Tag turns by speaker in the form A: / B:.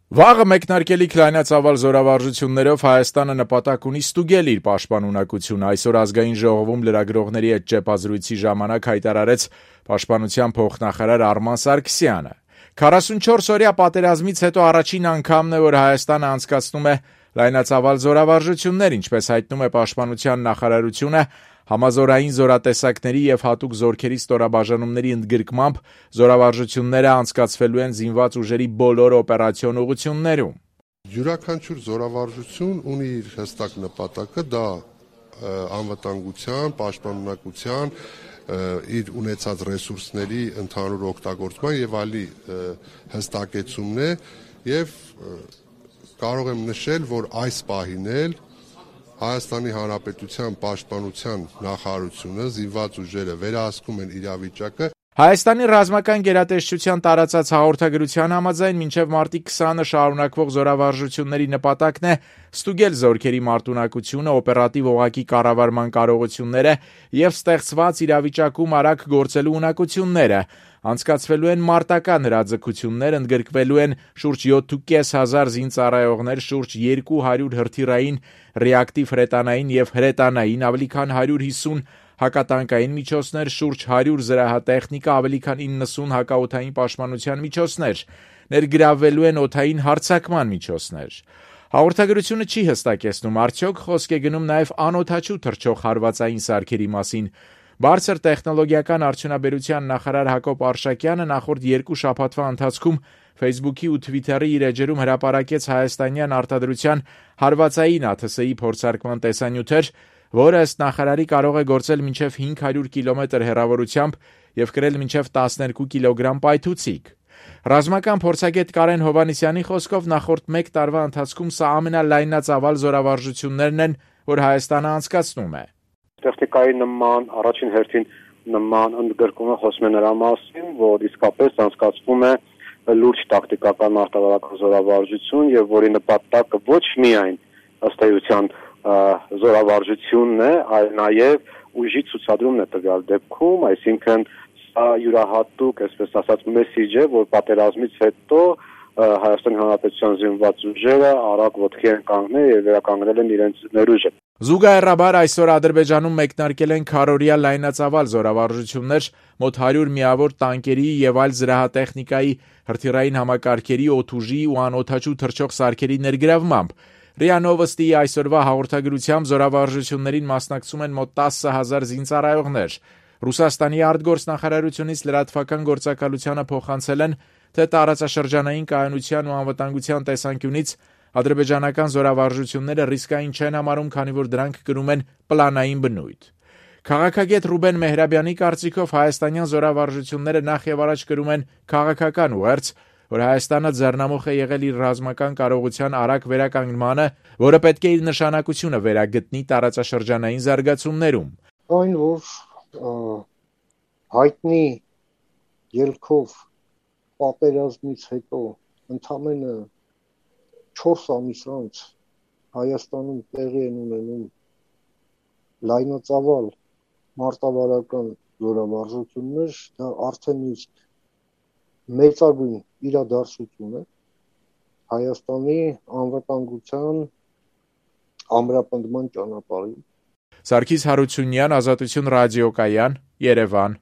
A: Վաղը մեկնարկելիք լայնածավալ զորավարժություններով Հայաստանը նպատակ ունի ստուգել իր պաշտպանունակությունը, այսօր Ազգային ժողովում լրագրողների հետ ճեպազրույցի ժամանակ հայտարարեց Պաշտպանության փոխնախարար Արման Սարգսյանը։ 44-օրյա պատերազմից հետո առաջին անգամն է, որ Հայաստանը անցկացնում է լայնածավալ զորավարժություններ, ինչպես հայտնում է Պաշտպանության նախարարությունը, համազորային զորատեսակների և հատուկ զորքերի ստորաբաժանումների ընդգրկմամբ զորավարժությունները անցկացվելու են զինված ուժերի բոլոր օպերացիոն ուղղություններում։
B: Յուրաքանչյուր զորավարժություն ունի իր հստակ նպատակը, դա անվտանգության, պաշտպանունակության, իր ունեցած ռեսուրսների ընդհանուր օգտագործման եւ այլի հստակեցումն է եւ կարող եմ նշել, որ այս պահին էլ Հայաստանի Հանրապետության պաշտպանության նախարարությունը, զինված ուժերը վերահսկում են իրավիճակը։
A: Հայաստանի ռազմական գերատեսչության տարածած հաղորդագրության համաձայն մինչև մարտի 20-ը շարունակվող զորավարժությունների նպատակն է ստուգել զորքերի մարտունակությունը, օպերատիվ օղակի կառավարման կարողությունները եւ ստեղծված իրավիճակում արագ գործելու ունակությունները։ Անցկացվելու են մարտական հրաձգություններ, ընդգրկվելու են շուրջ 7,500 զինծառայողներ, շուրջ 200 հրթիռային, ռեակտիվ հրետանային եւ հրետանային, ավելի քան 150 հակատանկային միջոցներ, շուրջ 100 զրահատեխնիկա, ավելի քան 90 հակաօդային պաշտպանության միջոցներ, ներգրավվելու են օդային հարձակման միջոցներ։ Հաղորդագրությունը չի հստակեցնում, արդյոք խոսք է գնում նաև անօդաչու թռչող հարվածային սարքերի մասին։ Բարձր տեխնոլոգիական արդյունաբերության նախարար Հակոբ Արշակյանը նախորդ 2 շաբաթվա ընթացքում Facebook-ի ու Twitter-ի իր էջերում հրապարակեց հայաստանյան արտադրության հարվածային ԱԹՍ-ի փորձարկման տեսանյութեր, որը ըստ նախարարի կարող է գործել մինչև 500 կիլոմետր հեռավորությամբ եւ կրել մինչև 12 կիլոգրամ պայթուցիկ։ Ռազմական փորձագետ Կարեն Հովհաննիսյանի խոսքով նախորդ 1 տարվա ընթացքում սա ամենալայնածավալ զորավարժություններն են, որ Հայաստանը անցկացնում է։
C: Տեխնիկայի նման, առաջին հերթին նման ընդգրկումը խոսում է նրա մասին, որ իսկապես անցկացվում է լուրջ տակտիկական մարտավարական զորավարժություն եւ որի նպատակը ոչ միայն ըստ էության զորավարժությունն է, այլ նաեւ ուժի ցուցադրումն է տվյալ դեպքում, այսինքն սա յուրահատուկ, այսպես ասած, մեսիջ է, որ պատերազմից հետո Հայաստանի Հանրապետության զինված ուժերը արագ ոտքի են կանգնել եւ վերականգնել են իրենց ներուժը։
A: Զուգահեռաբար այսօր Ադրբեջանում մեկնարկել են քառօրյա լայնածավալ զորավարժություններ մոտ 100 միավոր տանկերի եւ այլ զրահատեխնիկայի, հրթիռային համակարգերի, օդուժի ու անօդաչու թռչող սարքերի ներգրավմամբ։ ՌԻԱ Նովոստիի այսօրվա հաղորդագրությամբ զորավարժություններին մասնակցում են մոտ 10,000 զինծառայողներ։ Ռուսաստանի արտգործնախարարությունից լրատվական գործակալությանը փոխանցել են, թե տարածաշրջանային կայունության ու անվտանգության տեսանկյունից ադրբեջանական զորավարժությունները ռիսկային չեն համարում, քանի որ դրանք կրում են պլանային բնույթ։ Քաղաքագետ Ռուբեն Մեհրաբյանի կարծիքով հայաստանյան զորավարժությունները նախ եւ առաջ կրում են քաղաքական ուղերձ, որ Հայաստանը ձեռնամուխ է եղել իր ռազմական կարողության արագ վերականգնմանը, որը պետք է իր նշանակությունը վերագտնի տարածաշրջանային զարգացումներում։
D: Այն, որ հայտնի ելքով պատերազմից հետո ընդամենը 4 ամիս անց Հայաստանում տեղի են ունենում լայնածավալ մարտավարական զորավարժություններ, դա արդեն իսկ մեծագույն իրադարձություն է Հայաստանի անվտանգության ամրապնդման ճանապարհին։
A: Սարգիս Հարությունյան, Ազատություն ռադիոկայան, Երևան։